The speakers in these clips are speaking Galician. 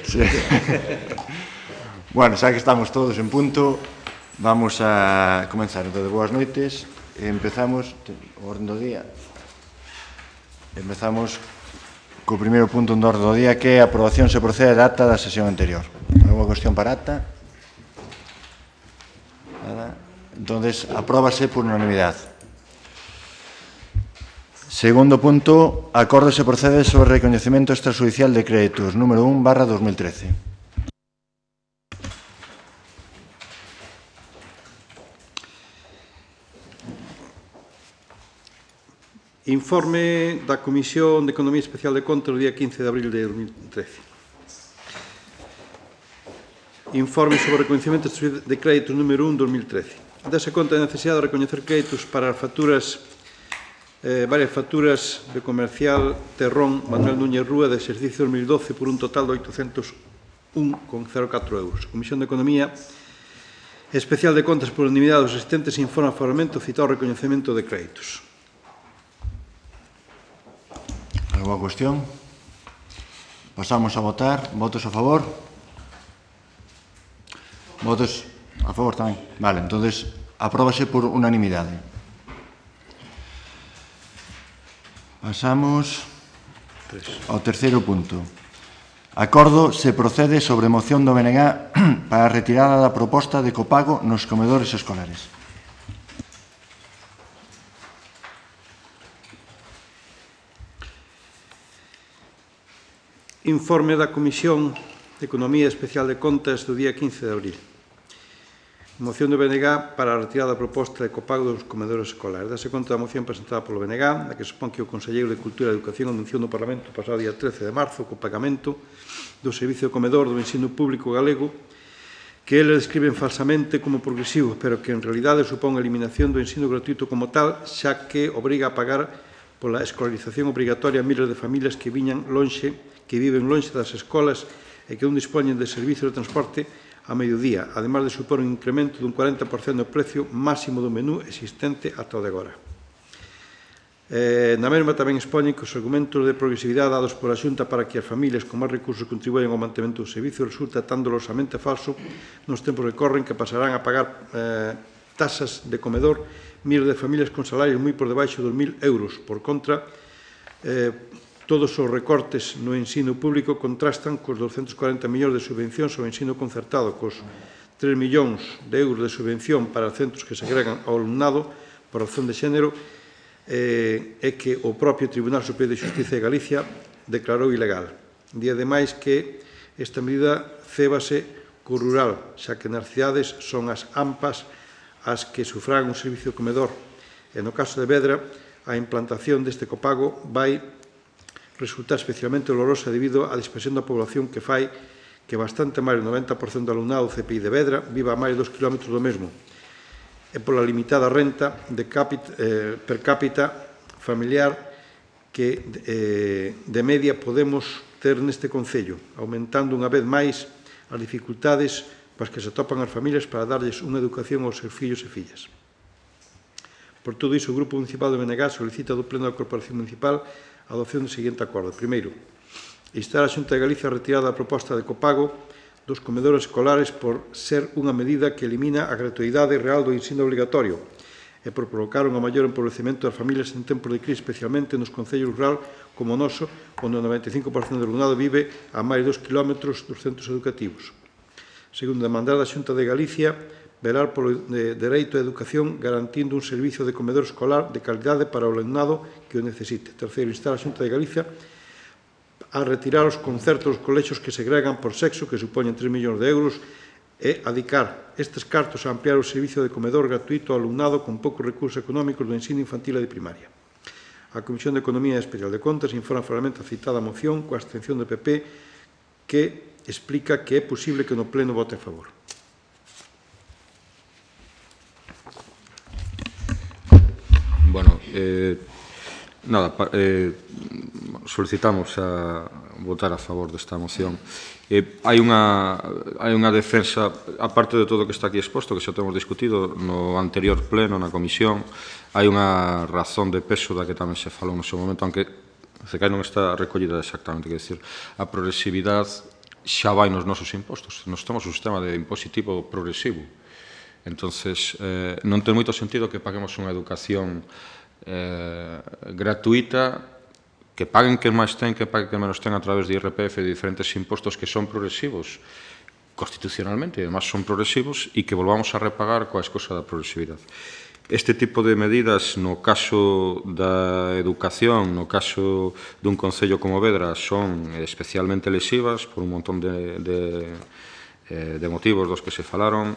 Sí. Bueno, xa que estamos todos en punto, vamos a comenzar. Entón, boas noites. Empezamos o orden do día. Empezamos co primeiro punto do orden do día, que é a aprobación se procede da acta da sesión anterior. Alguna cuestión para acta? Nada. Entón, apróbase por unanimidade. Segundo punto, acordo se procede sobre o recoñecemento extrajudicial de créditos número 1/2013. Informe da Comisión de Economía Especial de Contas do día 15 de abril de 2013. Informe sobre o recoñecemento de créditos número 1/2013. Dase conta da necesidade de recoñecer créditos para as facturas varias facturas de Comercial Terrón Manuel Núñez Rúa de exercicio 2012 por un total de 801,04 euros. A Comisión de Economía Especial de Contas por unanimidade dos asistentes informa favoramente o citado recoñecemento de créditos. Alguna cuestión? Pasamos a votar. Votos a favor? Votos a favor tamén. Vale, entonces apróbase por unanimidade. Pasamos ao terceiro punto. Acordo se procede sobre moción do BNG para a retirada da proposta de copago nos comedores escolares. Informe da Comisión de Economía Especial de Contas do día 15 de abril. Moción do BNG para a retirada da proposta de copago dos comedores escolares. Dase conta da moción presentada polo BNG, na que supón que o Conselleiro de Cultura e Educación anunciou no Parlamento pasado día 13 de marzo o pagamento do servicio de comedor do ensino público galego, que eles describen falsamente como progresivo, pero que en realidade supón a eliminación do ensino gratuito como tal, xa que obriga a pagar pola escolarización obrigatoria a miles de familias que viven lonxe das escolas e que non dispoñen de servicio de transporte a mediodía, ademais de supor un incremento dun 40% do precio máximo do menú existente ata o de agora. Na mesma tamén expoñen que os argumentos de progresividade dados pola Xunta para que as familias con máis recursos contribuyan ao mantemento do servicio resulta tan dolorosamente falso nos tempos que corren que pasarán a pagar tasas de comedor miles de familias con salarios moi por debaixo dos 1.000 euros. Por contra, todos os recortes no ensino público contrastan cos 240 millóns de subvencións ao ensino concertado, cos 3 millóns de euros de subvención para centros que segregan ao alumnado por razón de xénero e que o propio Tribunal Superior de Xustiza de Galicia declarou ilegal. Di ademais que esta medida cébase co rural, xa que nas cidades son as AMPAs as que sufragan un servicio de comedor. E no caso de Vedra, a implantación deste copago vai resulta especialmente dolorosa debido á dispersión da población que fai que bastante máis do 90% do alumnado do CPI de Vedra viva a máis de 2 km do mesmo e pola limitada renta per cápita familiar que de media podemos ter neste concello, aumentando unha vez máis as dificultades coas que se atopan as familias para darlles unha educación aos seus fillos e fillas. Por todo iso, o Grupo Municipal do BNG solicita do Pleno da Corporación Municipal a adopción do seguinte acordo. Primeiro, instar a Xunta de Galicia a retirada da proposta de copago dos comedores escolares por ser unha medida que elimina a gratuidade real do ensino obligatorio e por provocar un maior empobrecemento das familias en tempos de crise, especialmente nos concellos rural como o noso, onde o 95% do alumnado vive a máis de 2 km dos centros educativos. Segundo, demandar da Xunta de Galicia velar polo dereito á educación garantindo un servicio de comedor escolar de calidade para o alumnado que o necesite. Terceiro, instar a Xunta de Galicia a retirar os concertos dos colexios que segregan por sexo, que supoñen 3 millóns de euros, e adicar estes cartos a ampliar o servicio de comedor gratuito ao alumnado con poucos recursos económicos do ensino infantil e de primaria. A Comisión de Economía Especial de Contas informa favorablemente a citada moción coa abstención do PP que explica que é posible que no Pleno vote a favor. Bueno, solicitamos a votar a favor desta moción. Hai unha defensa, aparte de todo o que está aquí exposto, que xa temos discutido no anterior pleno, na comisión, hai unha razón de peso da que tamén se falou no seu momento, aunque se cae non está recollida exactamente, quer dizer, a progresividade xa vai nos nosos impostos. Nos temos un sistema de impositivo progresivo. Entonces, non ten moito sentido que paguemos unha educación gratuita, que paguen quen máis ten, que paguen quen menos ten a través de IRPF e de diferentes impostos que son progresivos constitucionalmente, e además son progresivos, e que volvamos a repagar coa excusa da progresividade. Este tipo de medidas, no caso da educación, no caso dun concello como Vedra, son especialmente lesivas por un montón de motivos dos que se falaron.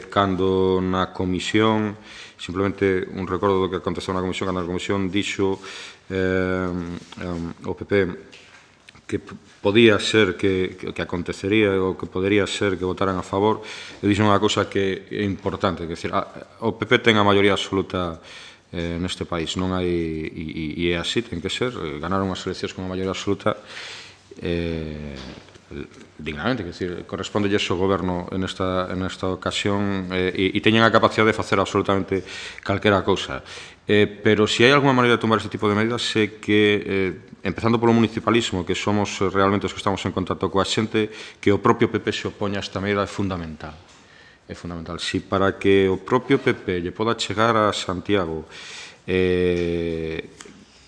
Cando na comisión, simplemente un recordo do que aconteceu na comisión, cando na comisión dixo o PP que podía ser que acontecería ou que podería ser que votaran a favor, eu dixo unha cousa que é importante, que é dicir, o PP ten a maioría absoluta neste país, non hai, e é así, ten que ser, ganaron as eleccións con a maioría absoluta dignamente, que decir, corresponde ao goberno nesta ocasión e teñen a capacidade de facer absolutamente calquera cousa. Pero se hai alguma maneira de tomar este tipo de medidas é que, empezando polo municipalismo, que somos realmente os que estamos en contacto coa xente, que o propio PP se opoña a esta medida é fundamental. É fundamental. Si para que o propio PP lle poda chegar a Santiago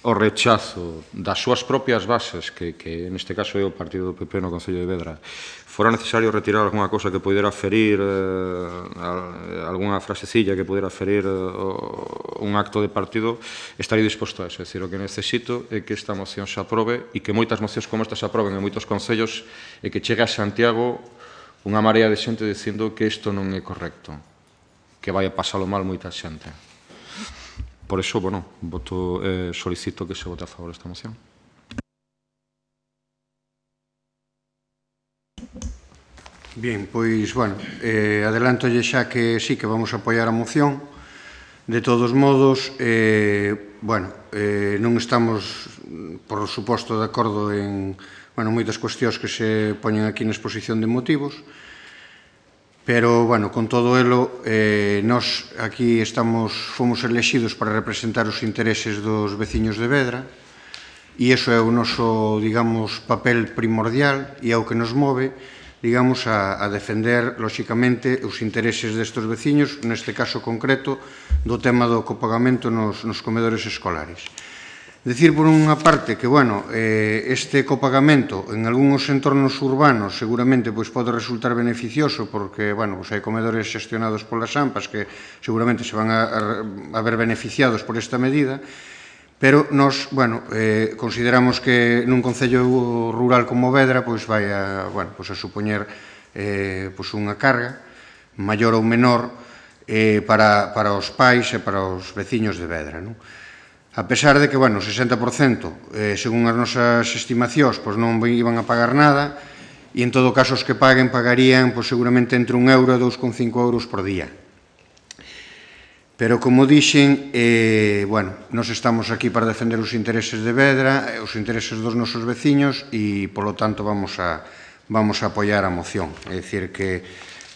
o rechazo das súas propias bases, que neste caso é o partido do PP no Concello de Vedra, fora necesario retirar algunha cousa que pudera ferir, algunha frasecilla que pudera ferir un acto de partido, estaría disposto a eso. É dicir, o que necesito é que esta moción se aprobe e que moitas mocións como esta se aproben en moitos concellos e que chegue a Santiago unha marea de xente dicindo que isto non é correcto, que vai a pasalo mal moita xente. Por iso, bueno, solicito que se vote a favor desta moción. Bien, pois, bueno, adelantolle xa que sí que vamos a apoiar a moción. De todos modos, bueno, non estamos, por suposto, de acordo en, bueno, moitas cuestións que se poñen aquí na exposición de motivos, pero, bueno, con todo elo, nós aquí fomos elexidos para representar os intereses dos veciños de Vedra, e iso é o noso, digamos, papel primordial e é o que nos move, digamos, a defender, lóxicamente, os intereses destes veciños, neste caso concreto, do tema do copagamento nos comedores escolares. Decir, por unha parte, que, bueno, este copagamento en algúns entornos urbanos seguramente pode resultar beneficioso porque, bueno, hai comedores xestionados polas AMPAs que seguramente se van a ver beneficiados por esta medida, pero nós, bueno, consideramos que nun concello rural como Vedra vai a supoñer unha carga maior ou menor para os pais e para os veciños de Vedra, non? A pesar de que, bueno, o 60%, según as nosas estimacións, non iban a pagar nada, e en todo caso os que pagarían seguramente entre 1 euro e 2,5 euros por día. Pero, como dixen, bueno, nós estamos aquí para defender os intereses de Vedra, os intereses dos nosos veciños, e, polo tanto, vamos a apoiar a moción. É dicir que,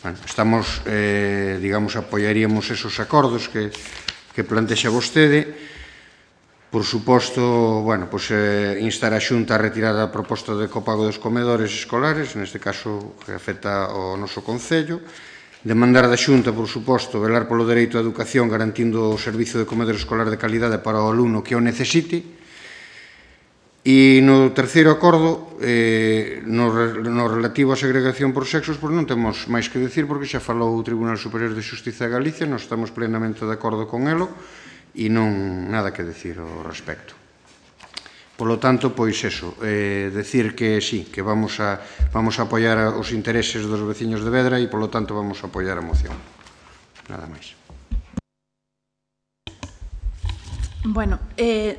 bueno, estamos, digamos, apoiaríamos esos acordos que plantexa vostede. Por suposto, bueno, instar a Xunta a retirar a proposta de copago dos comedores escolares, neste caso que afecta ao noso Concello, demandar da Xunta, por suposto, velar polo dereito á educación garantindo o servizo de comedor escolar de calidade para o alumno que o necesite. E no terceiro acordo, no relativo á segregación por sexos, non temos máis que decir porque xa falou o Tribunal Superior de Xustiza de Galicia, nós estamos plenamente de acordo con elo, e non nada que decir ao respecto. Polo tanto, pois eso, decir que sí, que vamos a apoiar os intereses dos veciños de Vedra e, polo tanto, vamos a apoiar a moción. Nada máis. Bueno,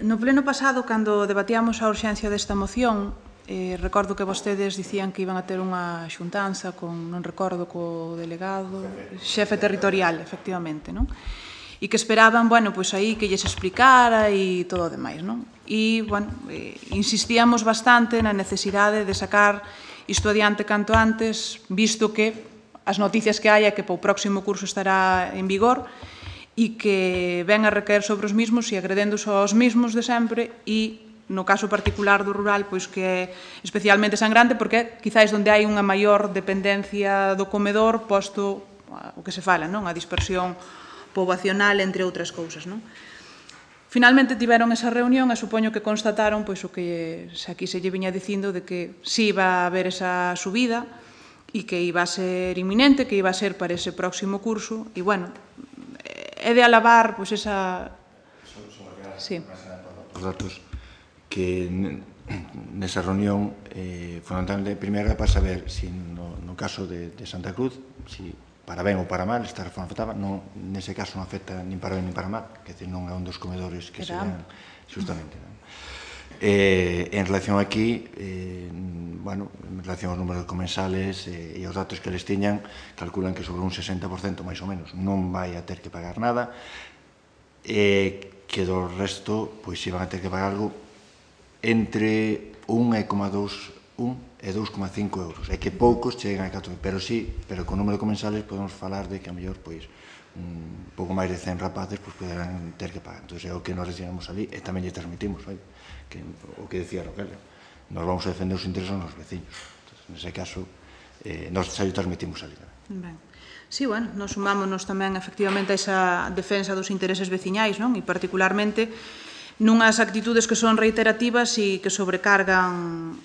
no pleno pasado, cando debatíamos a urxencia desta moción, recordo que vostedes dicían que iban a ter unha xuntanza con, non recordo, co delegado, xefe territorial, efectivamente, non? E que esperaban, bueno, pois aí que lles explicara e todo o demais, non? E, bueno, insistíamos bastante na necesidade de sacar isto adiante canto antes, visto que as noticias que hai é que para o próximo curso estará en vigor e que ven a recaer sobre os mismos e agredéndose aos mismos de sempre e no caso particular do rural, pois que é especialmente sangrante porque quizáis onde hai unha maior dependencia do comedor posto o que se fala, non? A dispersión poboacional, entre outras cousas, non? Finalmente tiveron esa reunión e supoño que constataron pois o que aquí se lle viña dicindo de que si iba a haber esa subida e que iba a ser inminente, que iba a ser para ese próximo curso e, bueno, é de alabar pois esa... Sí. Os datos que nesa reunión fundamentalmente, primeiro era para saber si no caso de Santa Cruz, si para ben ou para mal esta reforma afectaba, nese caso non afecta nin para ben nin para mal, que non é un dos comedores que sean justamente. En relación aquí, bueno, en relación aos números comensales e aos datos que les tiñan, calculan que sobre un 60% máis ou menos non vai a ter que pagar nada, que do resto pois iban a ter que pagar algo entre 1,2 e 2,5 euros. É que poucos chegan a 4, pero sí, pero con número de comensales podemos falar de que a mellor pois un pouco máis de 100 rapaces pois poderán ter que pagar. Entón é o que nos recibimos ali e tamén lle transmitimos, que o que decía Rogelio, nos vamos a defender os intereses dos veciños. Nese caso, nos xa lle transmitimos ali. Ben. Sí, bueno, nos sumámonos tamén efectivamente a esa defensa dos intereses veciñais, non? E particularmente nunhas actitudes que son reiterativas e que sobrecargan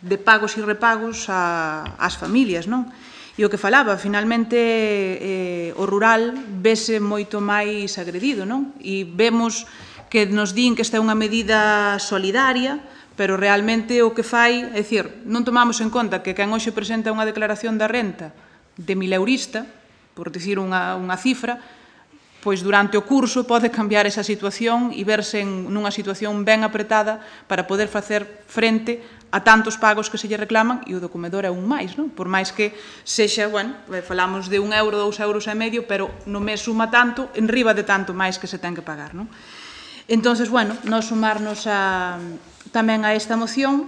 de pagos e repagos ás familias, non? E o que falaba, finalmente o rural vese moito máis agredido, non? E vemos que nos din que esta é unha medida solidaria, pero realmente o que fai, é dicir, non tomamos en conta que quen hoxe presenta unha declaración da renta de 1000 eurista, por dicir unha cifra, pois durante o curso pode cambiar esa situación e verse nunha situación ben apretada para poder facer frente a tantos pagos que se lle reclaman e o do comedor é un máis, non? Por máis que sexa, bueno, falamos de 1 euro, 2 euros e medio, pero no mes suma tanto, en riba de tanto máis que se ten que pagar, non? Entonces, bueno, nos sumarnos tamén a esta moción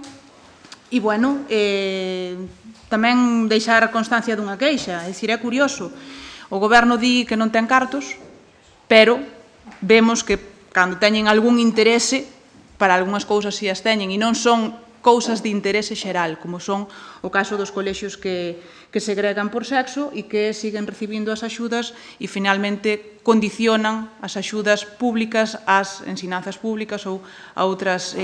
e, bueno, tamén deixar constancia dunha queixa, é dicir, é curioso, o goberno di que non ten cartos, pero vemos que cando teñen algún interese, para algunhas cousas si as teñen, e non son cousas de interese xeral, como son o caso dos colexios que segregan por sexo e que siguen recibindo as axudas e finalmente condicionan as axudas públicas ás ensinanzas públicas ou a outras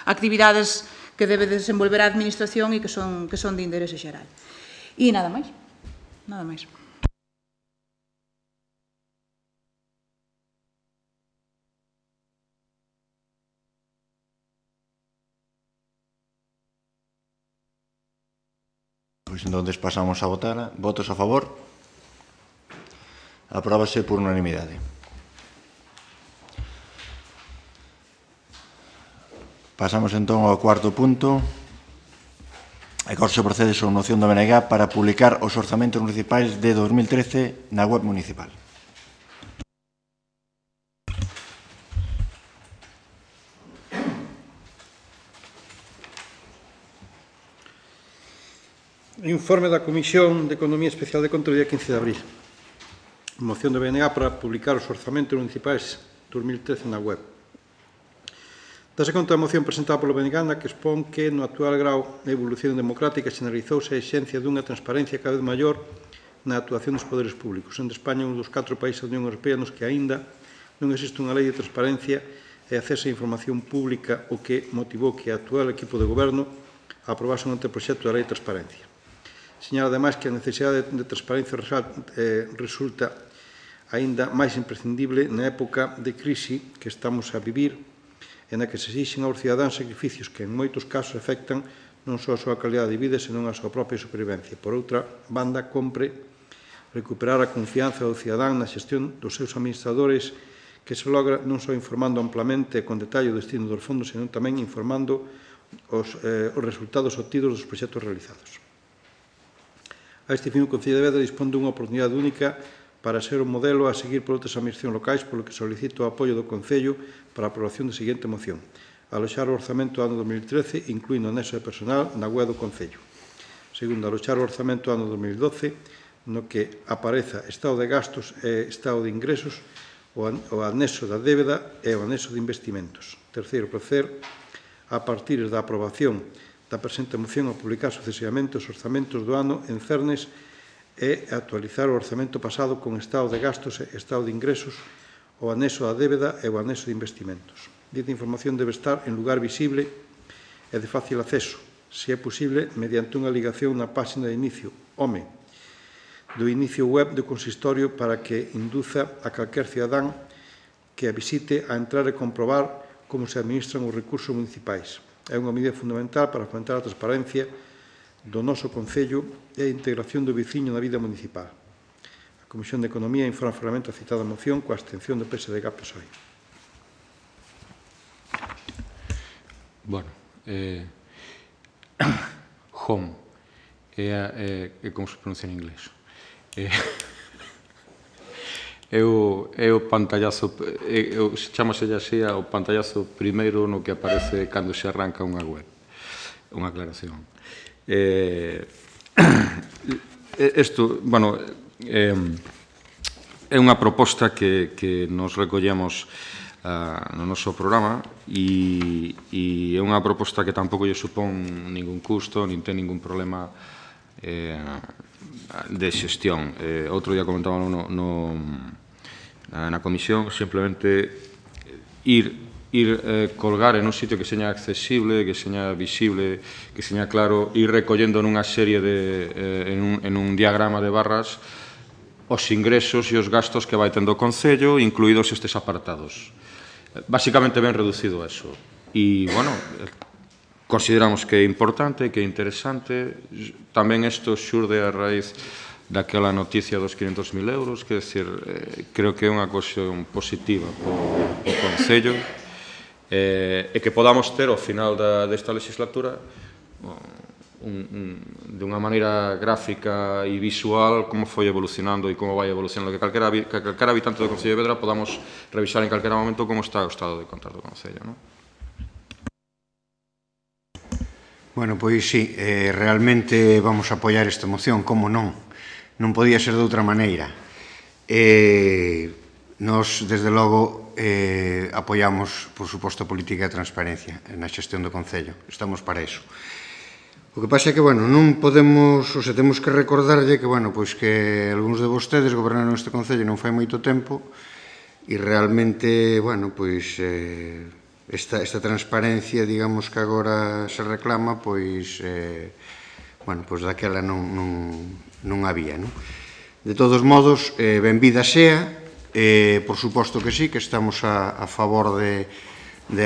actividades que debe desenvolver a administración e que son de interese xeral. E nada máis. Nada máis. Pois entón pasamos a votar. Votos a favor? Apróbase por unanimidade. Pasamos entón ao cuarto punto. Agora se procede sobre moción do BNG para publicar os orzamentos municipais de 2013 na web municipal. Informe da Comisión de Economía Especial de Control do día 15 de abril. Moción do BNG para publicar os orzamentos municipais 2013 na web. Dase conta da moción presentada polo BNG na que expón que no actual grau de evolución democrática xeneralizouse a exixencia dunha transparencia cada vez maior na actuación dos poderes públicos. En España, un dos 4 países da Unión Europea nos que aínda non existe unha lei de transparencia e acceso a información pública, o que motivou que o actual equipo de goberno aprobase un anteproxecto da lei de transparencia. Señala, ademais, que a necesidade de transparencia resulta aínda máis imprescindible na época de crise que estamos a vivir e na que se exixen aos cidadáns sacrificios que en moitos casos afectan non só a súa calidade de vida, senón a súa propia supervivencia. Por outra banda, compre recuperar a confianza do cidadán na xestión dos seus administradores, que se logra non só informando amplamente e con detalle o destino dos fondos, senón tamén informando os resultados obtidos dos proxectos realizados. A este fin, o Concello de Vedra dispón dunha oportunidade única para ser un modelo a seguir por outras administracións locais, polo que solicito o apoio do Concello para a aprobación da seguinte moción. Aloxar o orzamento do ano 2013, incluindo o anexo de personal, na web do Concello. Segundo, aloxar o orzamento do ano 2012, no que apareza estado de gastos e estado de ingresos, o anexo da débeda e o anexo de investimentos. Terceiro, proceder a partir da aprobación da presente moción a publicar sucesivamente os orzamentos do ano en cernes e actualizar o orzamento pasado con estado de gastos e estado de ingresos, o anexo da débeda e o anexo de investimentos. Dita información debe estar en lugar visible e de fácil acceso, se é posible, mediante unha ligación na páxina de inicio, HOME, do inicio web do consistorio para que induza a calquer cidadán que a visite a entrar e comprobar como se administran os recursos municipais. É unha medida fundamental para fomentar a transparencia do noso Concello e a integración do veciño na vida municipal. A Comisión de Economía informa formalmente a citada moción coa abstención do PSDG-PSOE. Bueno, home é como se pronuncia en inglés. É o pantallazo, chamase así o pantallazo primeiro no que aparece cando se arranca unha web, unha aclaración. Isto, bueno, é unha proposta que nos recollemos no noso programa e é unha proposta que tampouco lle supón ningún custo, nin ten ningún problema de xestión. Outro día comentábamos na comisión, simplemente ir colgar en un sitio que seña accesible, que seña visible, que seña claro, ir recollendo nunha serie en un diagrama de barras os ingresos e os gastos que vai tendo o Concello, incluídos estes apartados. Básicamente ben reducido a eso. E, bueno, consideramos que é importante, que é interesante. Tamén isto xurde a raíz daquela noticia dos 500.000 euros, que, decir, creo que é unha cuestión positiva para o Concello, e que podamos ter ao final desta legislatura de unha maneira gráfica e visual como foi evolucionando e como vai evolucionando, que calquera habitante do Concello de Vedra podamos revisar en calquera momento como está o estado de contas do Concello, non? Bueno, pois sí, realmente vamos a apoiar esta moción, como non? Non podía ser de outra maneira. Nos, desde logo, apoiamos, por suposto, a política de transparencia na xestión do Concello. Estamos para iso. O que pasa é que, bueno, non podemos, ou se temos que recordarlle que, bueno, pois que algúns de vostedes gobernaron este Concello non fai moito tempo e realmente, bueno, pois esta transparencia, digamos, que agora se reclama, pois, bueno, pois daquela non había, non? De todos modos, benvida sea, por suposto que sí, que estamos a favor de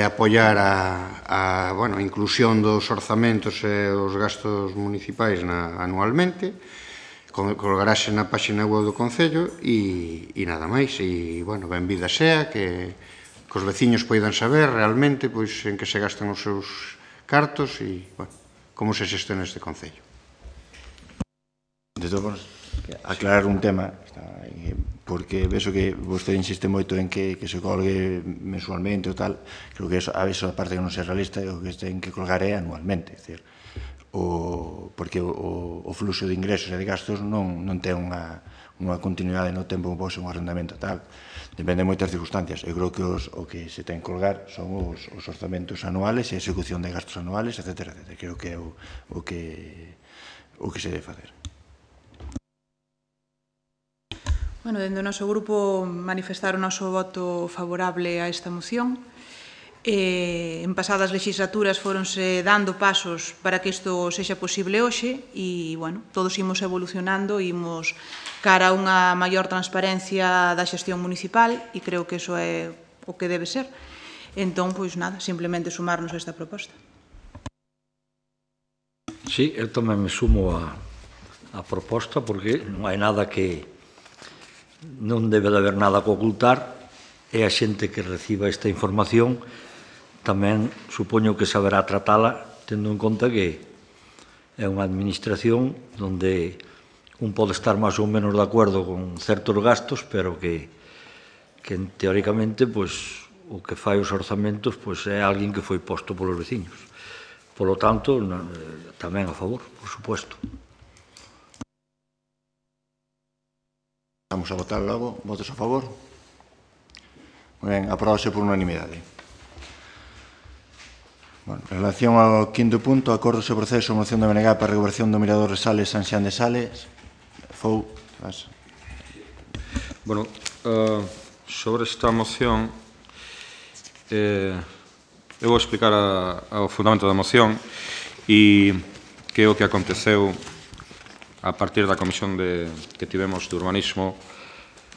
apoiar a inclusión dos orzamentos e os gastos municipais anualmente, colgarase na páxina web do Concello e nada máis. E, bueno, benvida sea, que os veciños poidan saber realmente en que se gastan os seus cartos e, bueno, como se xestiona este Concello. De todos, aclarar un tema, porque vexo que vostede insiste moito en que se colgue mensualmente ou tal. Creo que a veces a parte que non é realista, o que ten que colgar é anualmente, porque o fluxo de ingresos e de gastos non ten unha continuidade no tempo como pode ser un arrendamento tal. Depende de moitas circunstancias. Eu creo que o que se ten que colgar son os orzamentos anuales e a execución de gastos anuales, etc. Creo que é o que se debe facer. Bueno, dende o noso grupo manifestar o noso voto favorable a esta moción. En pasadas legislaturas foronse dando pasos para que isto sexa posible hoxe e, bueno, todos imos evolucionando, imos cara a unha maior transparencia da xestión municipal e creo que iso é o que debe ser. Entón, pois nada, simplemente sumarnos a esta proposta. Sí, eu tamén me sumo a proposta porque non hai nada que non debe de haber nada que ocultar e a xente que reciba esta información tamén supoño que saberá tratala tendo en conta que é unha administración onde un pode estar máis ou menos de acordo con certos gastos, pero que teóricamente o que fai os orzamentos é alguén que foi posto polos veciños. Polo tanto, tamén a favor, por suposto. Vamos a votar logo. Votos a favor? Moi ben, aprobase por unanimidade. Bueno, en relación ao quinto punto, acordo sobre proceso de moción de BNG para a recuperación do mirador de Sales, San Xan de Sales. Fou, vas. Bueno, sobre esta moción, eu vou explicar o fundamento da moción e que é o que aconteceu a partir da comisión que tivemos de urbanismo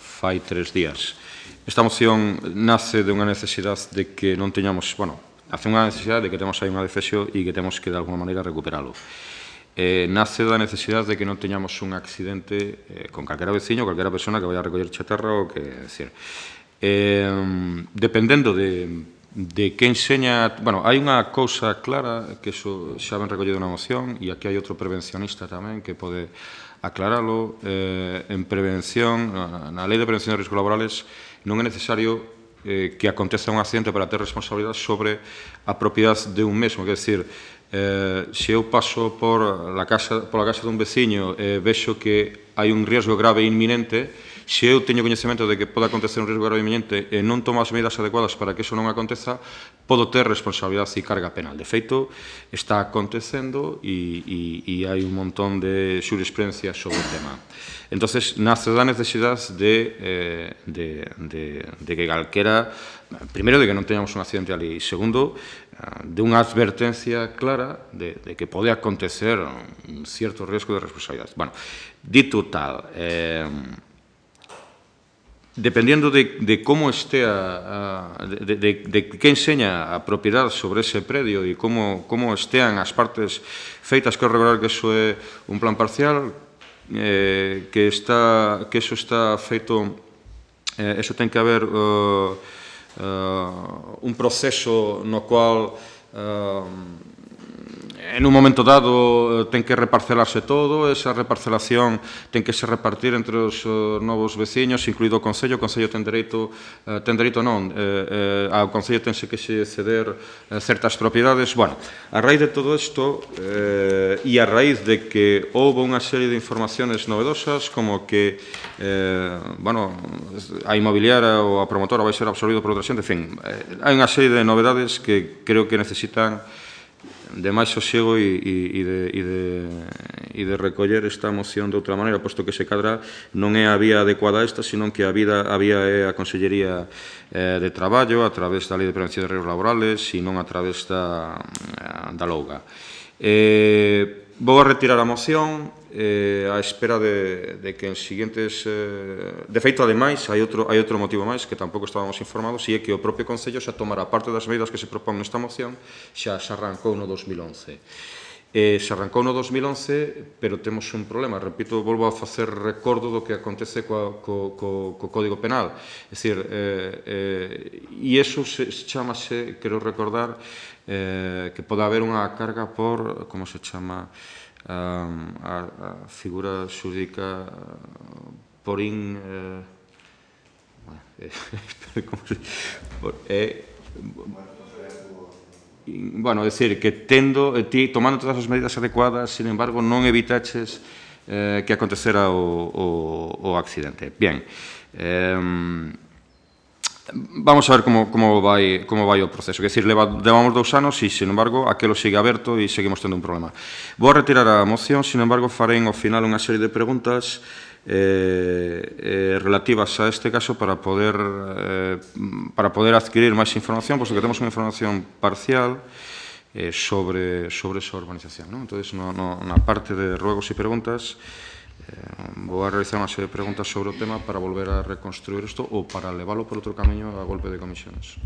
fai 3 días. Esta moción nace de unha necesidade de que non teñamos, bueno, hace unha necesidade de que temos aí unha defesio e que temos que de alguma maneira recuperalo. Nace da necesidade de que non teñamos un accidente con calquera veciño, calquera persona que vai a recoller chatarra ou que, decir, dependendo de que enseña, bueno, hai unha cousa clara que iso xa ben recollido na moción e aquí hai outro prevencionista tamén que pode aclaralo. En prevención, na Lei de Prevención de Riscos Laborales non é necesario que aconteza un accidente para ter responsabilidade sobre a propiedade de un mesmo, quer decir, se eu paso pola casa dun veciño e vexo que hai un riesgo grave e inminente, se eu teño coñecemento de que pode acontecer un riesgo grave e inminente e non tomo as medidas adecuadas para que iso non aconteza, podo ter responsabilidade e carga penal. De feito, está acontecendo e hai un montón de xurisprudencia sobre o tema. Entonces, nace da necesidade de que calquera, primeiro, de que non teñamos un accidente ali, e segundo, de unha advertencia clara de que pode acontecer un cierto riesgo de responsabilidade. Bueno, dito tal, dependendo de como estea, de que enseña a propiedade sobre ese predio e como estean as partes feitas, quero recordar que eso é un plan parcial, que eso está feito, eso ten que haber un proceso no cual en un momento dado ten que reparcelarse todo, esa reparcelación ten que se repartir entre os novos veciños, incluído o Concello ten dereito non, ao Concello tense que se ceder certas propiedades. Bueno, a raíz de todo isto e a raíz de que houve unha serie de informaciones novedosas como que a inmobiliaria ou a promotora vai ser absorbido por outra xente, en fin, hai unha serie de novedades que creo que necesitan de máis sosiego e de recoller esta moción de outra maneira, posto que se cadra non é a vía adecuada a esta, senón que a vía é a Consellería de Traballo a través da Lei de Prevención de Riesgos Laborales e non a través da LOUGA. Vou a retirar a moción á espera de que en siguientes... De feito, ademais, hai outro motivo máis que tampouco estábamos informados e é que o propio Concello xa tomara parte das medidas que se propón nesta moción, xa se arrancou no 2011. Se arrancou no 2011, pero temos un problema. Repito, volvo a facer recordo do que acontece co Código Penal. É dicir, e iso chamase, quero recordar, que pode haber unha carga por, como se chama, a figura xurídica por bueno, é dicir, que tomando todas as medidas adecuadas, sin embargo, non evitaches que acontecera o accidente. Bien, vamos a ver como vai o proceso. Quer dizer, levamos 2 anos e, sin embargo, aquilo sigue aberto e seguimos tendo un problema. Vou a retirar a moción, sin embargo, farei ao final unha serie de preguntas relativas a este caso para poder adquirir máis información, posto que temos unha información parcial sobre esa urbanización. Entón, na parte de ruegos e preguntas, vou a realizar unha serie de preguntas sobre o tema para volver a reconstruir isto ou para leválo por outro camiño a golpe de comisiones.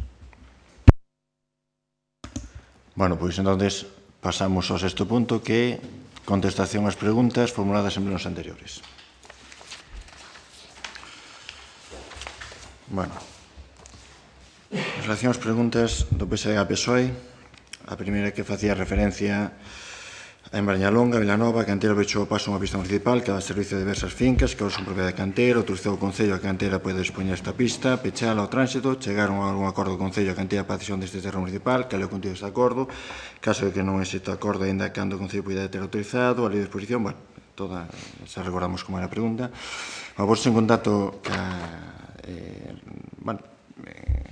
Bueno, pois entonces pasamos ao sexto punto, que é contestación ás preguntas formuladas en plenos anteriores. Bueno, en relación ás preguntas do PSD e PSOE, a primeira que facía referencia en Brañalonga, Vilanova, a cantera pechou o paso unha pista municipal que dá servicio de diversas fincas que ahora son propiedade da cantera, autorizou o Concello a cantera pode dispoñer esta pista, pechala ao tránsito, chegaron a algún acordo do Concello a cantera para a decisión deste terreno municipal, que é o contido deste acordo, caso de que non exista acordo ainda cando o Concello poida ter autorizado, a lei de exposición, bueno, toda, xa recordamos como era a pregunta. A vos en contacto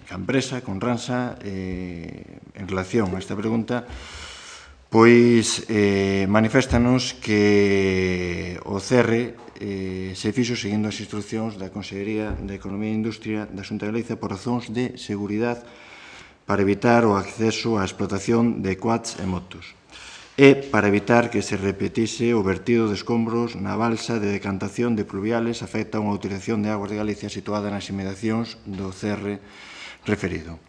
ca empresa, con Ransa, en relación a esta pregunta, pois maniféstanos que o CERRE se fixo seguindo as instruccións da Consellería de Economía e Industria da Xunta de Galicia por razóns de seguridade para evitar o acceso á explotación de quads e motos e para evitar que se repetise o vertido de escombros na balsa de decantación de pluviales afecta a unha utilización de aguas de Galicia situada nas inmediacións do CERRE referido.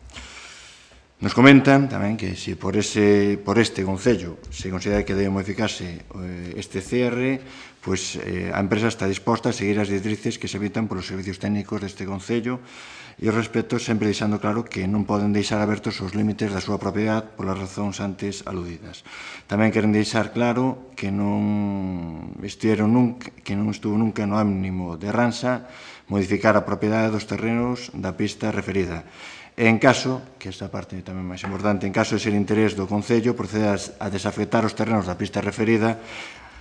Nos comentan tamén que se por este concello se considera que debe modificarse este CR, pois a empresa está disposta a seguir as directrices que se evitan polos servicios técnicos deste concello e ao respecto sempre deixando claro que non poden deixar abertos os límites da súa propiedade polas razóns antes aludidas. Tamén queren deixar claro que non estuvo nunca no ánimo de Ransa modificar a propiedade dos terrenos da pista referida. En caso, que esta parte tamén máis importante, en caso de ser interés do Concello, procede a desafectar os terrenos da pista referida,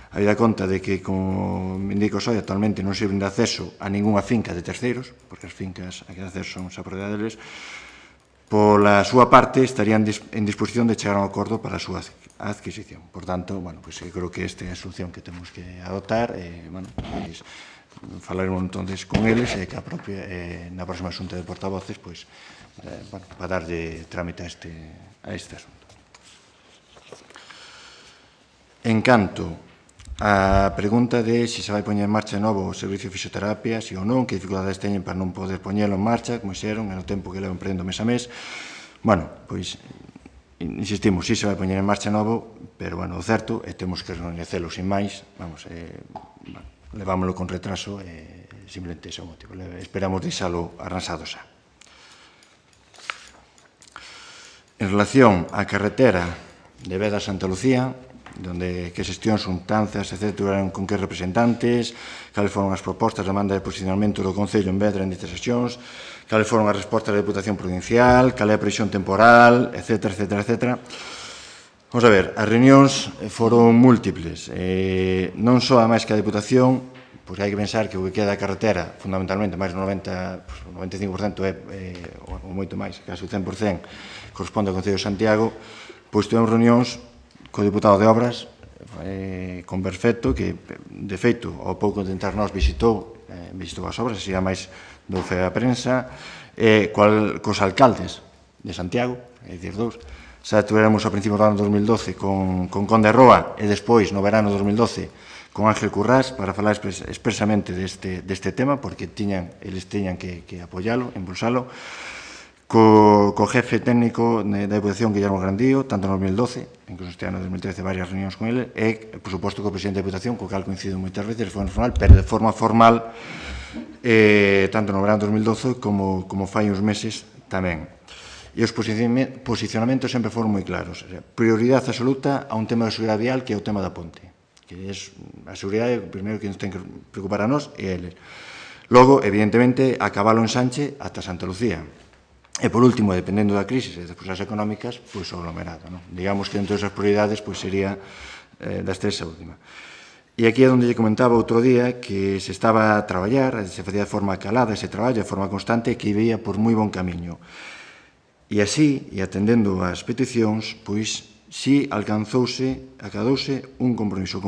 habida conta de que, como me indico hoy, actualmente non sirven de acceso a ninguna finca de terceiros, porque as fincas a que acceso son esa propiedade deles, pola súa parte estarían en disposición de chegar a un acordo para a súa adquisición. Por tanto, bueno, pues, creo que esta é a solución que temos que adoptar, bueno, pues, falaremos entonces con eles e que a propia, na próxima xunta de portavoces, pois, bueno, para darlle trámite a este asunto. En canto a pregunta de se vai poñer en marcha de novo o servicio de fisioterapia, si ou non, que dificultades teñen para non poder poñelo en marcha, como xeron, en o tempo que levan prendendo mes a mes. Bueno, pois, insistimos, si se vai poñer en marcha novo, pero, bueno, o certo, e temos que recoñecelo sin máis, vamos, bueno, levámoslo con retraso, simplemente ese é o motivo. Esperamos deixalo arransado xa. En relación á carretera de Veda a Santa Lucía, onde que xestións, xuntanzas, etc., tuvieron con que representantes, cales foron as propostas de demanda de posicionamento do Concello en Vedra en ditas sesións, cales foron as respostas da Deputación Provincial, cal é a previsión temporal, etc., etc., etc. Vamos a ver, as reunións foron múltiples. Non só a máis que a Deputación, pois hai que pensar que o que queda a carretera, fundamentalmente, máis do 95% ou moito máis, casi o 100%, corresponde ao Concello de Santiago, pois tivemos reunións co Deputado de Obras, con Perfecto, que, de feito, ao pouco de entrar nós visitou as obras, así a máis do fe a prensa, cos alcaldes de Santiago, é dicir, dous. Xa tuveramos a principios do ano 2012 con Conde Roa e despois, no verano 2012, con Ángel Currás para falar expresamente deste tema, porque eles tiñan que apoialo, impulsalo, co jefe técnico da Deputación, Guillermo Grandío, tanto en 2012, incluso este ano 2013, varias reunións con ele, e, por suposto, co presidente da Deputación, co cal coincido moitas veces, foi informal, pero de forma formal, tanto no verano 2012 como fai uns meses tamén. E os posicionamentos sempre foron moi claros. Prioridade absoluta a un tema de seguridade vial que é o tema da ponte, que é a seguridade, o primeiro que nos ten que preocupar a nós e a eles. Logo, evidentemente, acabalo en Sanche ata Santa Lucía. E, por último, dependendo da crisis e das posibilidades económicas, pois o aglomerado. Digamos que, entre esas prioridades, pois sería das tres a última. E aquí é onde lle comentaba outro día que se estaba a traballar, se facía de forma calada ese traballo, de forma constante, que ibía por moi bon camiño. E así, e atendendo ás peticións, pois, si acadouse un compromiso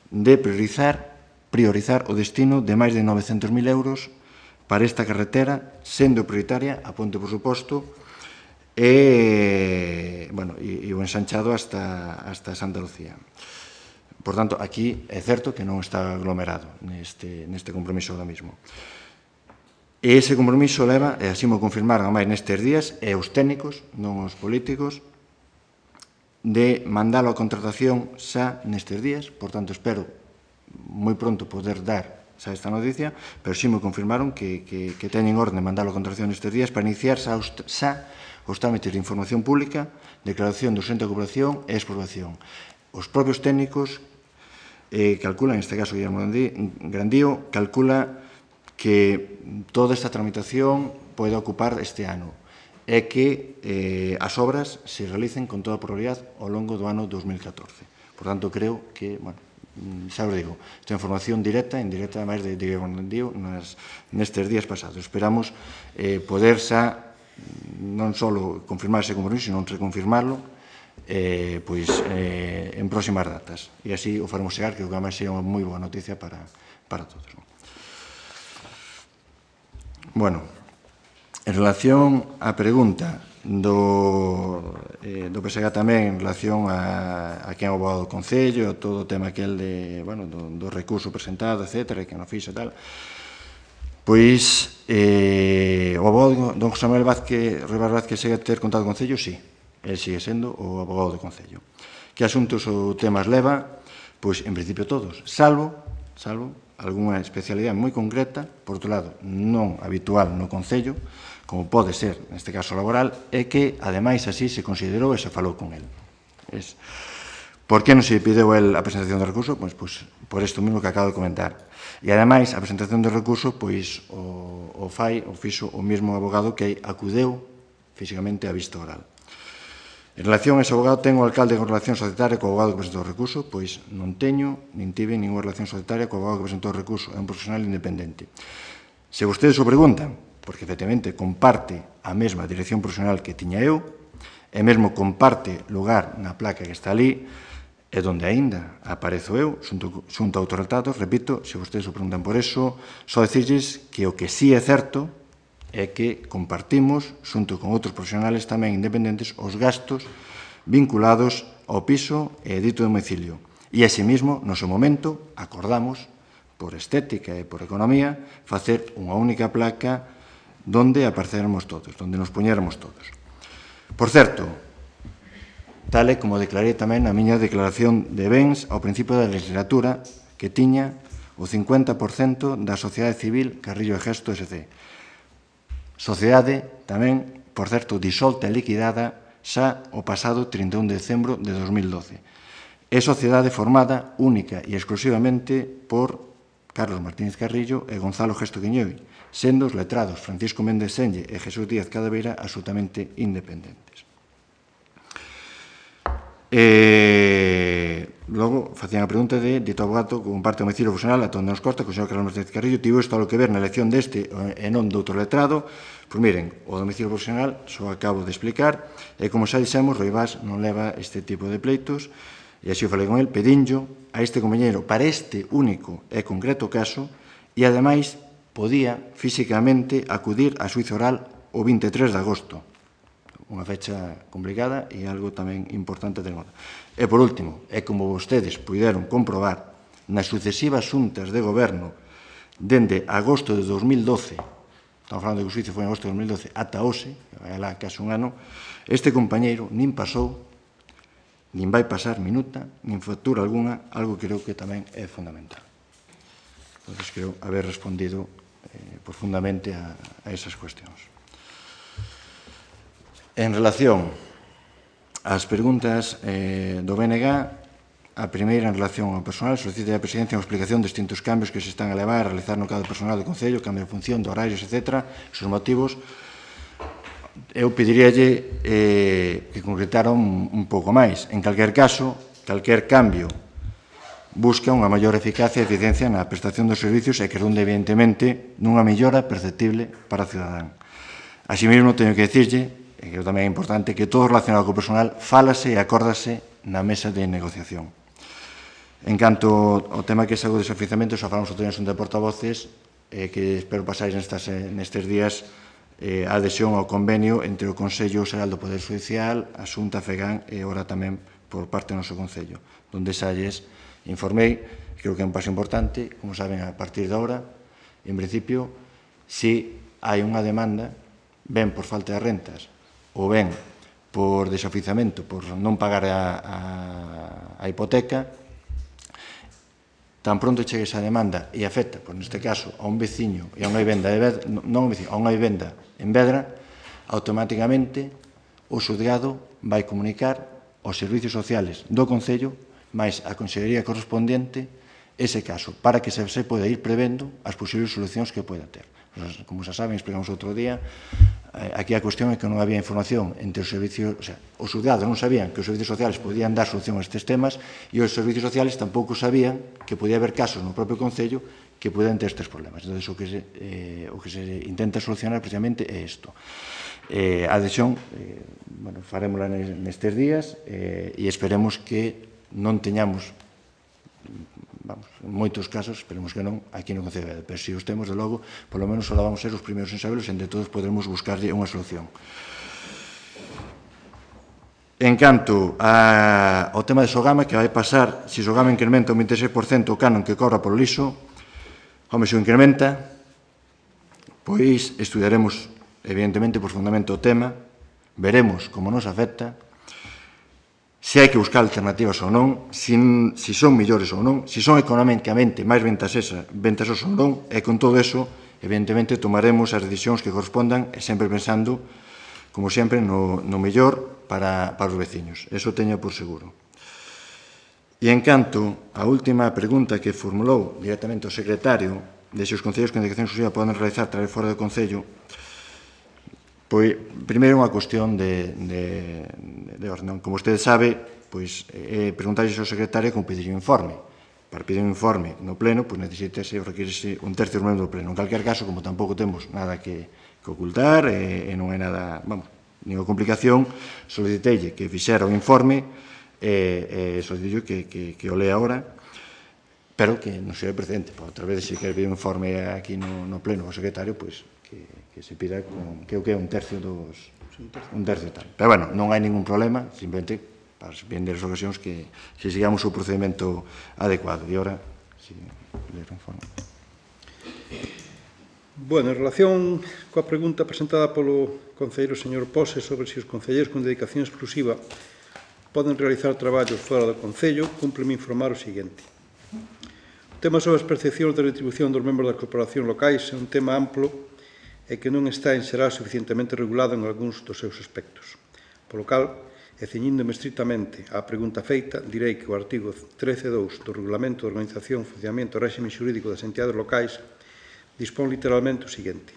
de priorizar o destino de máis de 900.000 euros para esta carretera, sendo prioritaria a ponte, por suposto, e o ensanchado hasta Santa Lucía. Por tanto, aquí é certo que non está aglomerado neste compromiso ahora mismo. E ese compromiso leva, e así mo confirmaron a máis nestes días, e os técnicos, non os políticos, de mandalo a contratación xa nestes días. Por tanto, espero moi pronto poder dar xa esta noticia, pero sí me confirmaron que teñen orden de mandalo a contratación nestes días para iniciar xa os trámites de información pública, declaración do centro de cooperación e expropiación. Os propios técnicos calculan, en este caso Guillermo Grandío, calcula que toda esta tramitación pode ocupar este ano e que as obras se realicen con toda probabilidade ao longo do ano 2014. Por tanto, creo que, xa os digo, esta información directa e indirecta, máis de digo, nestes días pasados. Esperamos poder xa non só confirmar ese compromiso, sino reconfirmarlo en próximas datas. E así o faremos chegar, que además sería unha moi boa noticia para todos. Bueno, en relación á pregunta do PSG tamén en relación a quen é o abogado do Concello, todo o tema aquel do recurso presentado, etc., que non fixo e tal, pois o abogado don José Manuel Rivas Vázquez segue a ter contado co Concello, sí, el sigue sendo o abogado do Concello. Que asuntos ou temas leva? Pois, en principio, todos, salvo algunha especialidade moi concreta, por outro lado, non habitual no Concello, como pode ser, neste caso laboral, é que, ademais, así se considerou e se falou con el. Por que non se pideu el a presentación do recurso? Pois por isto mesmo que acabo de comentar. E, ademais, a presentación do recurso, pois, o fixo o mesmo abogado que acudeu físicamente a vista oral. En relación a ese abogado, ten o alcalde con relación societaria co abogado que presentou o recurso? Pois non teño, nin tive ninguna relación societaria co abogado que presentou o recurso. É un profesional independente. Se vostedes o preguntan, porque efectivamente comparte a mesma dirección profesional que tiña eu, e mesmo comparte lugar na placa que está ali, e donde aínda aparezo eu, xunto a outros retratos, repito, se vostedes o preguntan por eso, só dicirles que o que sí é certo é que compartimos, xunto con outros profesionales tamén independentes, os gastos vinculados ao piso e dito domicilio. E, asimismo, no seu momento, acordamos, por estética e por economía, facer unha única placa donde aparecermos todos, donde nos poñéramos todos. Por certo, tal e como declarei tamén na miña declaración de bens ao principio da legislatura, que tiña o 50% da sociedade civil Carrillo e Gesto S.C. Sociedade tamén, por certo, disolta e liquidada xa o pasado 31 de decembro de 2012. É sociedade formada única e exclusivamente por Carlos Martínez Carrillo e Gonzalo Gesto Quiñoi, sendo os letrados Francisco Méndez Senlle e Jesús Díaz Cadaveira absolutamente independentes. Logo, facían a pregunta de dito abogado que comparte o domicilio profesional a onde nos consta que o señor Carlos Martínez Carrillo tivo isto algo que ver na elección deste e non do outro letrado. Pois miren, o domicilio profesional só acabo de explicar e como xa dixemos, Rivas non leva este tipo de pleitos e así o falei con el, pedinllo a este compañeiro para este único e concreto caso e ademais podía físicamente acudir a xuizo oral o 23 de agosto. Unha fecha complicada e algo tamén importante a ter en conta. E, por último, é como vostedes puderon comprobar nas sucesivas xuntas de goberno dende agosto de 2012, estamos falando de que o xuizo foi en agosto de 2012, ata hoxe, vai lá case un ano, este compañeiro nin pasou, nin vai pasar minuta, nin factura alguna, algo que creo que tamén é fundamental. Entón, creo haber respondido profundamente a esas cuestións. En relación ás preguntas do BNG, a primeira en relación ao personal, solicita a Presidencia unha explicación de distintos cambios que se están a levar a realizar no cadro personal do Concello, cambio de función, de horarios, etc., os motivos. Eu pediríalle que concretaran un pouco máis. En calquer caso, calquer cambio busca unha maior eficacia e eficiencia na prestación dos servicios e que redunde, evidentemente, nunha mellora perceptible para o cidadán. Así mesmo, teño que dicirlle, e que tamén é importante, que todo relacionado co personal fálase e acórdase na mesa de negociación. En canto ao tema que é o desafiuzamento, xa falamos outro día de portavoces, que espero pasáis nestes días a adhesión ao convenio entre o Consello Xeral do Poder Judicial, a Xunta, FEGAN e ora tamén por parte do noso Concello, donde xa lles informei, creo que é un paso importante, como saben, a partir de ahora, en principio, se hai unha demanda, ben por falta de rentas, ou ben por desafiuzamento, por non pagar a hipoteca, tan pronto chegue esa demanda e afecta, por neste caso, a un veciño e a unha vivenda, non a un veciño, a unha vivenda en Vedra, automáticamente o xudgado vai comunicar aos servicios sociales do Concello máis a Consellería correspondente ese caso, para que se poda ir prevendo as posibles solucións que poda ter. Como xa saben, explicamos outro día, aquí a cuestión é que non había información entre os servicios, o sea, os ciudadanos non sabían que os servicios sociales podían dar solución a estes temas e os servicios sociales tampouco sabían que podía haber casos no propio Concello que podían ter estes problemas. Entón, o que se intenta solucionar precisamente é isto. A adhesión, farémola nestes días e esperemos que non teñamos, en moitos casos, esperemos que non, aquí no Concello, pero se os temos, de logo, polo menos só vamos ser os primeiros en sabelos e entre todos podremos buscarlle unha solución. En canto ao tema de Sogama, que vai pasar, se Sogama incrementa un 26% o canon que cobra polo liso, home, se o incrementa, pois estudiaremos, evidentemente, profundamente o tema, veremos como nos afecta, se hai que buscar alternativas ou non, se son millores ou non, se son económicamente máis ventaxosos ou non, e con todo eso, evidentemente, tomaremos as decisións que correspondan, e sempre pensando, como sempre, no mellor para os veciños. Eso teño por seguro. E en canto á última pregunta que formulou directamente o secretario de se os concellos con dedicación exclusiva poden realizar traballo fora do Concello, pois, primeiro, unha cuestión de orden. Como usted sabe, pois, preguntarlle ao secretario como pedir un informe. Para pedir un informe no pleno, pois necesitase ou requirese un tercio dos membros do pleno. En calquer caso, como tampouco temos nada que ocultar, e non hai nada, ninguna complicación, solicitei que fixera o informe, solicitei que o lea ahora, pero que non seja precedente. Outra vez, se quer pedir un informe aquí no pleno ao secretario, pois, que se pida que o que é un tercio tal. Pero, bueno, non hai ningún problema, simplemente para vender as ocasións que se sigamos o procedimento adecuado. E ora, si ler o informe. Bueno, en relación coa pregunta presentada polo concelleiro señor Pose sobre se os concelleiros con dedicación exclusiva poden realizar traballos fora do Concello, cúmpleme informar o seguinte. O tema sobre as percepcións de retribución dos membros das corporacións locais é un tema amplo e que non está en xeral suficientemente regulado en algúns dos seus aspectos. Polo cal, e ceñíndome estritamente á pregunta feita, direi que o artigo 13.2 do Regulamento de Organización, Funcionamento e Réxime Xurídico das Entidades Locais dispón literalmente o seguinte.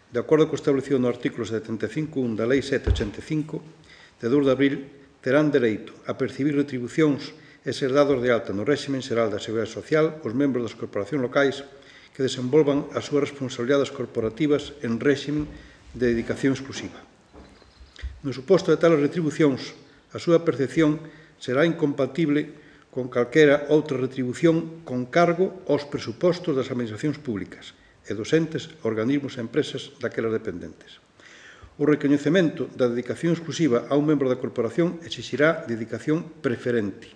De acordo co establecido no artículo 75.1 da Lei 785, de 2 de abril, terán dereito a percibir retribucións e ser dados de alta no réxime xeral da Seguridade Social os membros das corporacións locais que desenvolvan as súas responsabilidades corporativas en réxime de dedicación exclusiva. No suposto de tales retribucións, a súa percepción será incompatible con calquera outra retribución con cargo aos presupostos das administracións públicas e dos entes, organismos e empresas daquelas dependentes. O recoñecemento da dedicación exclusiva a un membro da corporación exixirá dedicación preferente,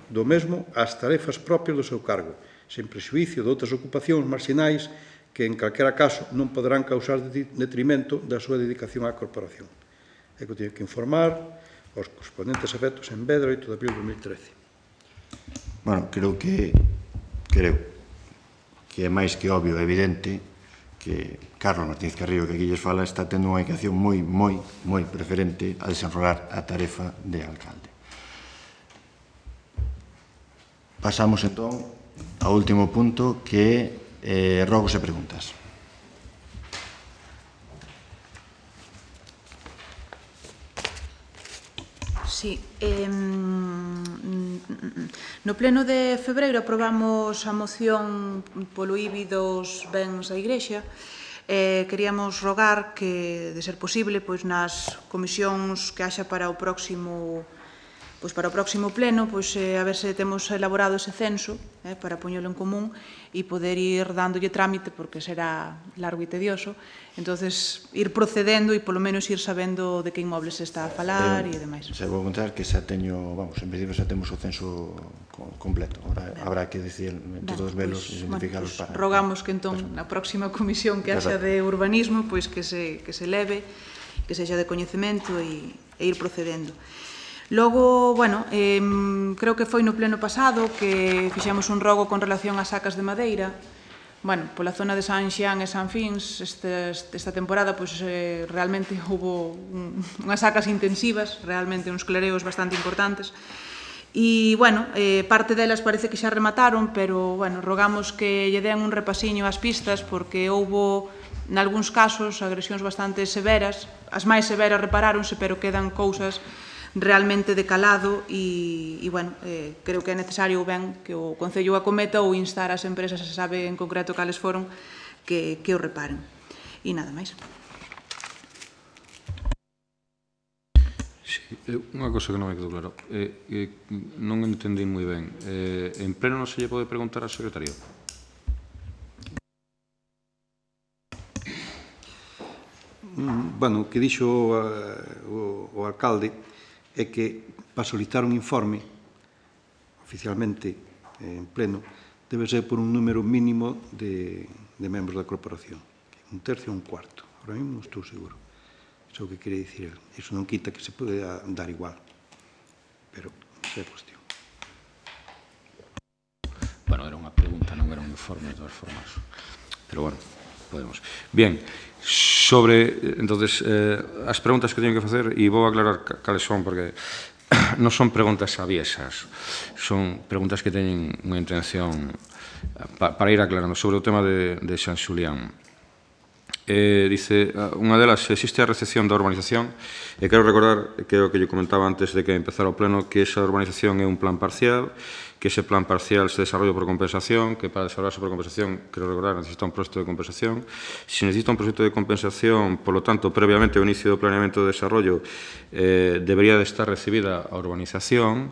do mesmo ás tarefas propias do seu cargo, sen prexuízo de outras ocupacións marxinais que, en calquera caso, non poderán causar detrimento da súa dedicación á corporación. É que teño que informar aos correspondentes efectos en Vedra, 8 de abril de 2013. Bueno, creo que é máis que obvio, evidente, que Carlos Martínez Carrillo, que aquí lles fala, está tendo unha dedicación moi preferente a desenrolar a tarefa de alcalde. Pasamos, entón, ao último punto, que é rogos e preguntas. Sí. No pleno de febreiro aprobamos a moción polo IBI dos bens da Igrexa. Queríamos rogar que, de ser posible, nas comisións que haxa para o próximo pleno, a ver se temos elaborado ese censo para poñelo en común e poder ir dándolle trámite, porque será largo e tedioso, entonces ir procedendo e polo menos ir sabendo de que inmobles se está a falar e demais. Se vou contar que xa teño, en principio xa temos o censo completo, habrá que decir todos velos e identificalos para... Rogamos que entón na próxima comisión que haxa de urbanismo que se leve, que sexa de coñecemento e ir procedendo. Logo, creo que foi no pleno pasado que fixemos un rogo con relación ás sacas de madeira. Pola zona de San Xián e San Fins, esta temporada, realmente houve unhas sacas intensivas, realmente uns clareos bastante importantes, E, bueno, parte delas parece que xa remataron, pero, bueno, rogamos que lle den un repasiño ás pistas, porque houbo, nalgúns casos, agresións bastante severas. As máis severas reparáronse, pero quedan cousas realmente de calado e bueno, creo que é necesario ben que o Concello acometa ou instar ás empresas, se sabe en concreto cales foron, que o reparen. E nada máis. Unha cosa que non me quedou claro, non entendí moi ben. En pleno non se lle pode preguntar ao secretario? Bueno, o que dixo o alcalde é que para solicitar un informe oficialmente en pleno debe ser por un número mínimo de membros da corporación, un tercio ou un cuarto. Ahora mesmo non estou seguro. Iso é o que quere dicir ele. Iso non quita que se pode dar igual, pero esa é a cuestión. Bueno, era unha pregunta, non era un informe de todas formas. Pero bueno, podemos. Bien, sobre, entonces, as preguntas que teño que facer, e vou aclarar cales son, porque non son preguntas aviesas, son preguntas que teñen unha intención para ir aclarando sobre o tema de San Xulián. Dice, unha delas, existe a recepción da urbanización, e quero recordar que é o que yo comentaba antes de que empezara o pleno, que esa urbanización é un plan parcial, que ese plan parcial se desarrolla por compensación, que para desarrollarse por compensación, quero recordar, necesita un proxecto de compensación. Se necesita un proxecto de compensación, polo tanto, previamente ao inicio do planeamento de desarrollo, debería de estar recibida a urbanización,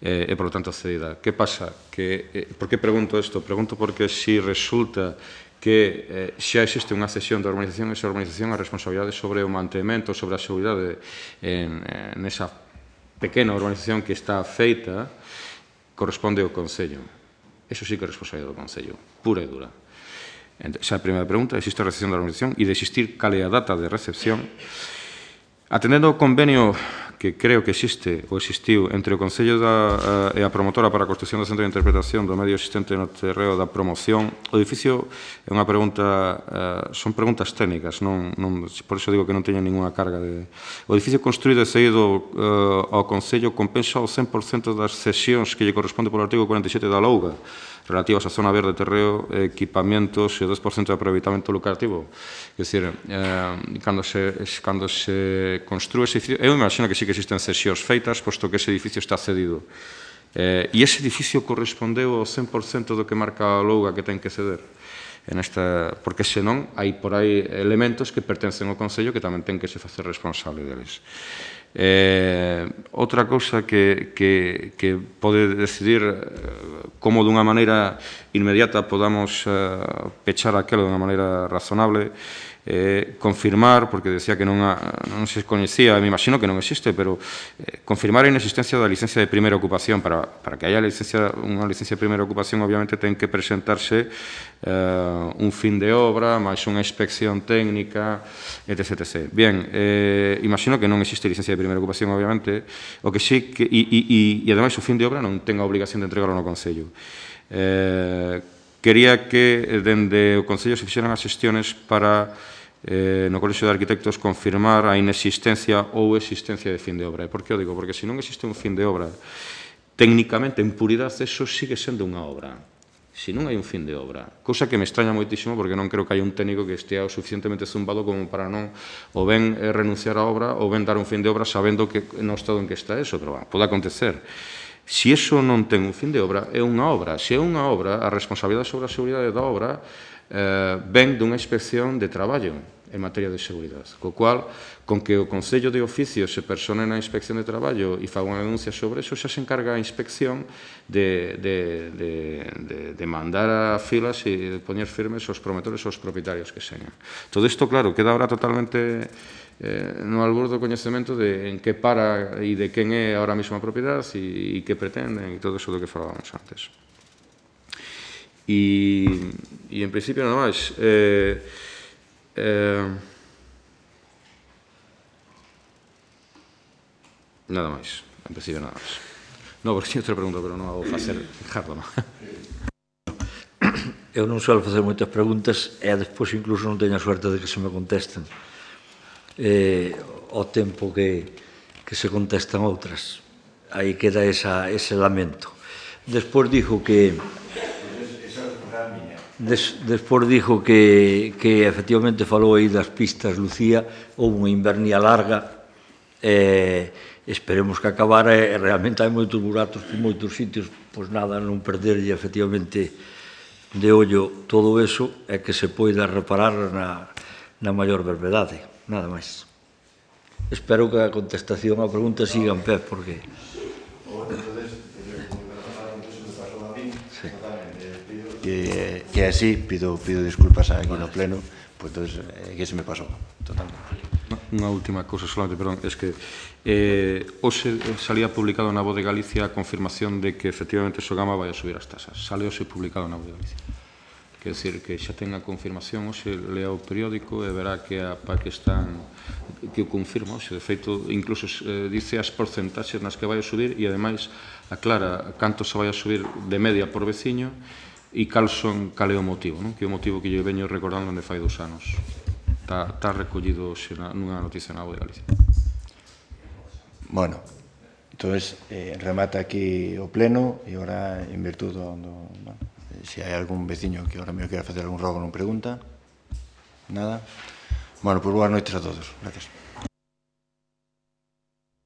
e, por lo tanto, cedida. Que pasa? Por que pregunto isto? Pregunto porque si resulta que xa existe unha cesión da urbanización, esa urbanización a responsabilidade sobre o mantemento, sobre a seguridade nesa pequena urbanización que está feita, corresponde ao Concello. Eso sí que é responsabilidade do Concello, pura e dura. Esa é a primeira pregunta, existe a recepción da urbanización e de existir cal é a data de recepción. Atendendo ao convenio que creo que existe ou existiu entre o Concello e a promotora para a construcción do centro de interpretación do medio existente no terreo da promoción, o edificio é unha pregunta, son preguntas técnicas, por iso digo que non teñen ninguna carga de... O edificio construído e cedido ao Concello compensa o 100% das cesións que lle corresponde polo artigo 47 da LOUGA, relativas á zona verde, terreo, equipamientos e o 2% de aproveitamento lucrativo. É dicir, cando se construe ese edificio, eu imagino que sí que existen cesións feitas, posto que ese edificio está cedido. E ese edificio correspondeu ao 100% do que marca a LOUGA que ten que ceder. Porque senón hai por aí elementos que pertencen ao Concello que tamén ten que se facer responsable deles. Outra cousa que pode decidir como dunha maneira inmediata podamos pechar aquelo dunha maneira razonable, confirmar, porque decía que non se coñecía, me imagino que non existe, pero confirmar a inexistencia da licencia de primeira ocupación. Para que haya unha licencia de primeira ocupación, obviamente ten que presentarse un fin de obra, máis unha inspección técnica, etc. Bien, imagino que non existe licencia de primeira ocupación, obviamente, o que sí, e ademais o fin de obra non ten a obligación de entregarlo no Concello. Quería que dende o Concello se fixeran as xestiones para no Colexio de Arquitectos confirmar a inexistencia ou existencia de fin de obra. E por que o digo? Porque se non existe un fin de obra, técnicamente, en puridade, eso sigue sendo unha obra. Se non hai un fin de obra, cousa que me extraña moitísimo porque non creo que hai un técnico que estea o suficientemente zumbado como para non ou ben renunciar á obra ou ben dar un fin de obra sabendo que no estado en que está eso, pero pode acontecer. Se iso non ten un fin de obra, é unha obra. Se é unha obra, a responsabilidade sobre a seguridade da obra ven dunha inspección de traballo en materia de seguridade. Co cual, con que o Concello de Oficio se persone na inspección de traballo e faga unha denuncia sobre eso, xa se encarga a inspección de mandar a filas e de poñer firmes os promotores ou os propietarios que señan. Todo isto, claro, queda ahora totalmente no albor do coñecemento de en que para e de quen é ahora mesmo a propiedade e que pretenden e todo eso do que falábamos antes. E en principio nada máis. Nada máis. En principio nada máis. Non, porque tinha outra pregunta, pero non a vou facer Ricardo, non? Eu non suelo facer moitas preguntas e despois incluso non teño a suerte de que se me contesten ao tempo que se contestan outras. aí queda ese lamento. Despois dijo que efectivamente falou aí das pistas, Lucía, houve unha invernia larga, esperemos que acabara, e realmente hai moitos buratos por moitos sitios, pois nada, non perderlle efectivamente de ollo todo eso e que se poida reparar na maior brevedade, nada máis. Espero que a contestación á pregunta siga en pé, porque... Que así, pido disculpas aquí no pleno, pois que se me pasou totalmente. Unha última cousa solamente, perdón, es que hoxe salía publicado na Voz de Galicia a confirmación de que efectivamente Sogama vai a subir as tasas. Sale hoxe publicado na Voz de Galicia. Quer dizer, que xa ten a confirmación, hoxe lea o periódico e verá que a PAC que o confirma hoxe. De feito, incluso dice as porcentaxes nas que vai a subir e, ademais, aclara canto se vai a subir de media por veciño e cal é o motivo, que é o motivo que lle veño recordando onde fai 2 anos. Está recollido nunha noticia na Voz de Galicia. Bueno, entón, remata aquí o pleno e agora, en virtud se hai algún veciño que agora me quera facer algún rogo non pregunta. Nada. Bueno, pois boas noites a todos. Gracias.